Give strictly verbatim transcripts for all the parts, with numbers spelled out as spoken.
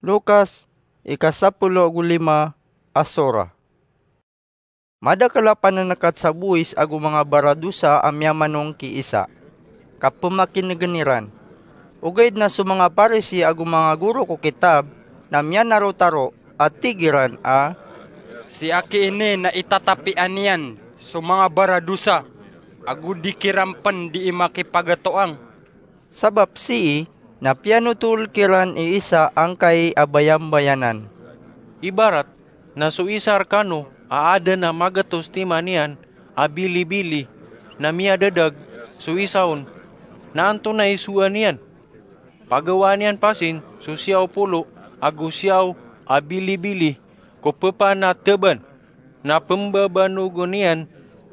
Lukas, ika sapolo ago lima a sora. Madakl a panankat sa bowis ago manga baradosa a miyamanong ki Isa, ka pmakinegen iran. Ogaid na so manga Parisi ago manga goro ko kitab na miyanarotaro a tig iran a, "Si aki ini na itatapian iyan so manga baradosa, ago di kiran pn dii makipagatoang." Sabap sii na piyanotol kiran i Isa angkai a bayambayanan. Ibarat na so isa rkano a adn a magatos timan iyan a bilibili, na miyadadag so isa on, na antonaa i sowaan iyan? Pagawaan iyan pasin so siyaw polo ago siyaw a bilibili ko pphanateban, na pmbabanogen iyan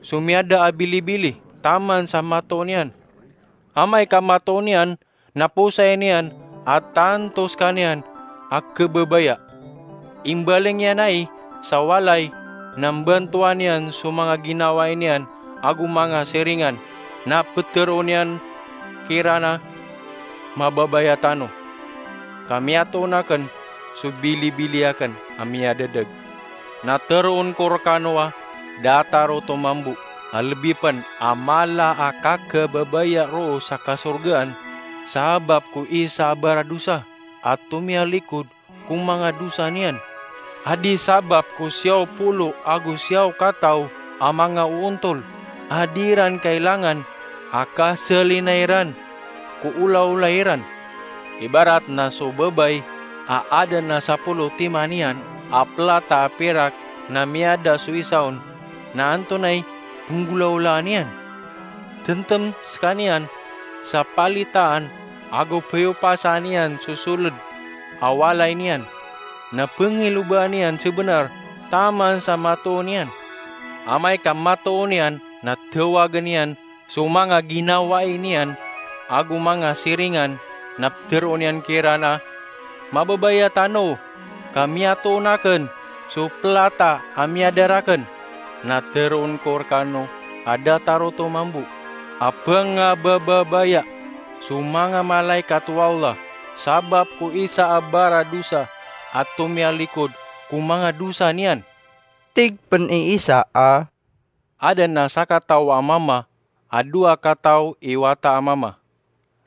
so miyada a bilibili taman sa matoon iyan. Amay ka matoon iyan, na posayn iyan a tanto skaniyan a khababaya. Imbaling iyan ai sa walay, na mbantowan iyan so manga ginawai niyan ago manga siringan, na ptharoon iyan kiran a, "Mababaya tano, ka miyatoon akn so bilibili akn a miyadadag. Na tharoon ko rkano a da a tarotoma mambo a lbi pn a mala a kakhababaya roo sa kasorgaan, sabap ko isa a baradosa a tomiyalikod ko manga dosa niyan, a di sabap ko siyaw polo ago siyaw kataw a manga oontol a di iran kailangan a kasalina iran ko olaola iran." Ibarat na so babay a adn a sapolo timan iyan a plata a pirak, na miyada so isa on, na antonaa i pnggolaolaan iyan? Tmtm skaniyan sa palitaan ago phayopasan iyan so soled a walay niyan, na pngilobaan iyan sabnar taman sa matoon iyan. Amay ka matoon iyan, na tawagen iyan so manga ginawai niyan ago manga siringan, na ptharoon iyan kiran a, "Mababaya tano, ka miyatoon akn so plata a miyada rakn." Na tharoon ko rkano a da a tarotoma mambo a pngabababaya so manga malaikat o Allah, sabap ko isa a baradosa a tomiyalikod ko manga dosa niyan. Tig pn i Isa a, "Adn a sakataw a mama a dowa kataw i wata a mama.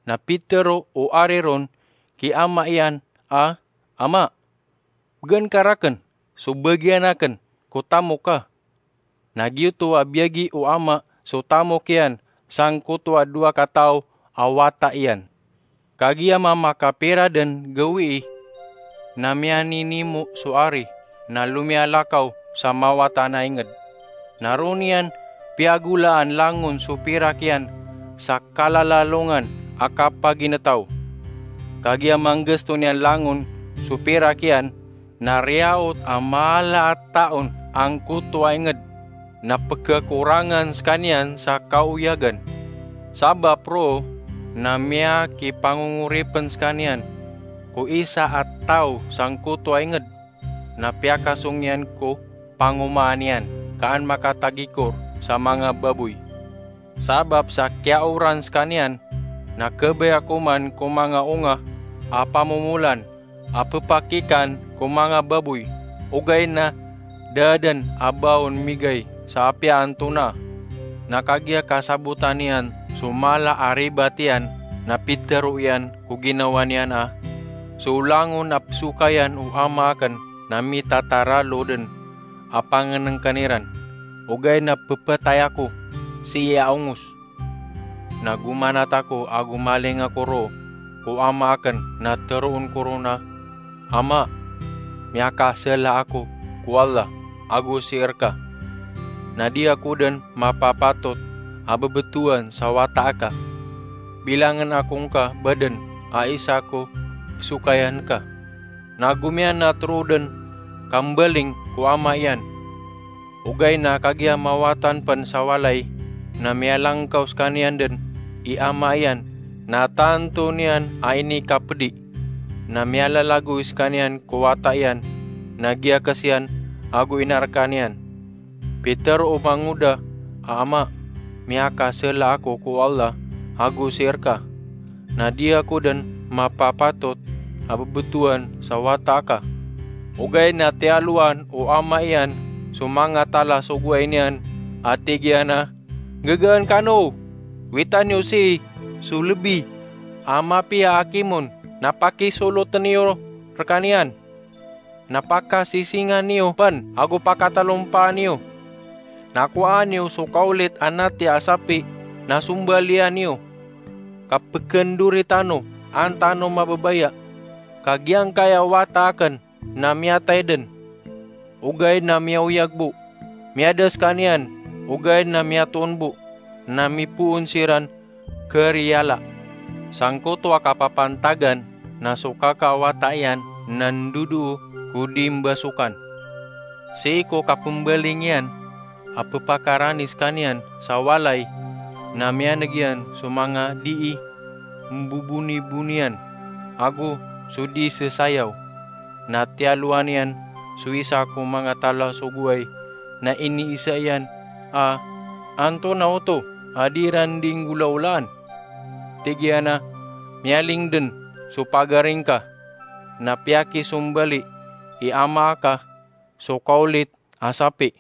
Na pitharo o ari ron ki ama iyan a, 'Ama, bgan ka rakn so bagian akn ko tamok ka.' Na giyoto a biyagi o ama so tamok iyan sangkoto a dowa kataw a wata iyan. Kagiya mamakapira dn gawii, na miyaninimo so ari, na lomiyalakaw sa mawatan a ingd. Na roo niyan piyagolaan langon so pirak iyan sa kalalalongan a kapaginetaw. Kagiya manggasto niyan langon so pirak iyan, na riyaot a mala a taon angkoto a ingd, na pkhakorangan skaniyan sa kaoyagan. Sabap roo na miyakipangongoripn skaniyan ko isa a taw sangkoto a ingd, na piyakasong iyan ko pangomaan iyan ka an makatagikor sa manga baboy. Sabap sa kiyaoran skaniyan, na khabaya ko man ko manga onga a pamomolan a ppakikan ko manga baboy, ogaid na da dn a ba on migay sa apiya antonaa.' Na kagiya kasabotan iyan so mala a ribat iyan, na pitharo iyan ko ginawa niyan a, 'So langon a pzokayan o ama akn na mitataralo dn a pangnngkn iran, ogaid na pphatay ako sii a ongos.' Na gomanat ako a gomaling ako roo ko ama akn, na tharoon ko ron a, 'Ama, miyakasala ako ko Allah ago sii rka. Na di ako dn mapapatot a bbtowan sa wata aka. Bilangn ako ngka ba dn a isa ko pzokayan ka.' Na gomiyanat roo dn kambaling ko ama iyan. Ogaid na kagiya mawatan pn sa walay, na miyalangkaw skaniyan dn i ama iyan, na tanto niyan a inikapdi. Na miyalalagoy skaniyan ko wata iyan, na giyakes iyan ago inarkan iyan. Pitharo o mangoda a, 'Ama, miyakasala ako ko Allah ago sii rka. Na di ako dn mapapatot a bebetowan sa wata aka. Ogaid na tiyalowan o ama iyan so manga talasogoay niyan a tig iyan a, "Gagaan kano! Wita niyo sii so lebi a mapiya a kimon na pakisoloten iyo rekaniyan, na pakasisingan iyo pn ago pakatalompaan iyo. Na kowaan iyo so kaolit a nati a sapi na sombalian iyo, ka pekendori tano an tano mababaya, ka giyangkaya wata aken na miyatay den, ogaid na miyaoyag bo. Miyada sekaniyan, ogaid na miyatoon bo, na mipoon siran keriyala." Sangkoto a kapapantagan na so kaka a wata iyan na ndodoo ko di mbasokan. Sii ko kapembaling iyan a pepakarani sekaniyan sa walay, na miyaneg iyan so manga dii mbobonibonian ago so di sesayaw. Na tiyalowan iyan so isa ko manga talasogoay na iniisa iyan a, "Antonaa oto a di iran di nggolaolaan?" Tig iyan a, "Miyaling den so pagari ngka, na piyakisombali i ama aka so kaolit a sapi,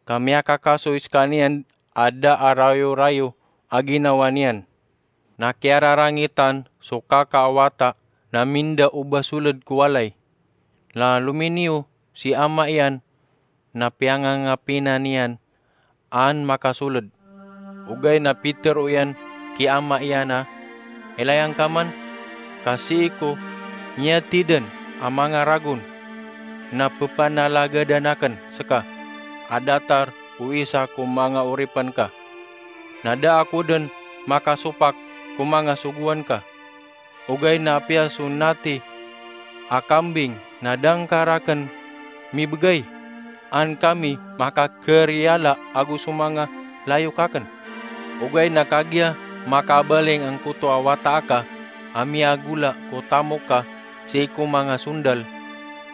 ka miyakakasoy sekaniyan a da a rayorayo a ginawa niyan." Na kiyararangitan so kaka a wata na minda o ba soled ko walay. Na lominiyo si ama iyan na piyangangapinan iyan an makasoled. Ogaid na pitero iyan ki ama iyan a, "Ilay angka man, ka sii ko miyatiden a manga ragon na pepanalagadan aken seka a datar o isa ko manga oripen ka. Na da ako den makasopak ko manga sogoan ka. Ogaid na apiya so nati a kambing na da ngka raken mibegay, an kami makakeriyala ago so manga layok aken. Ogaid na kagiya makabaling angkoto a wata aka a miyagola ko tamok ka sii ko manga sondal,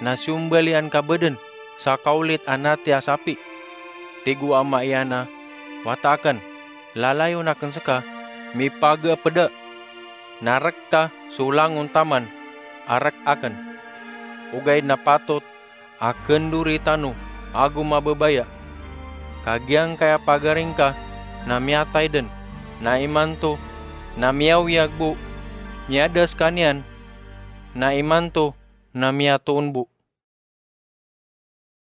na siyombalian ka ba den sa kaolit a nati a sapi?" Tig o ama iyan a, "Wata aken, lalayon aken seka, mipageepeda, na rek ka so langon taman a rek aken. Ogaid na patot a kendori tano ago mababaya, ka giyangkaya pagari ngka na miyatay den, na imanto na miyaoyag bo. Miyada sekaniyan, na imanto na miyatoon bo."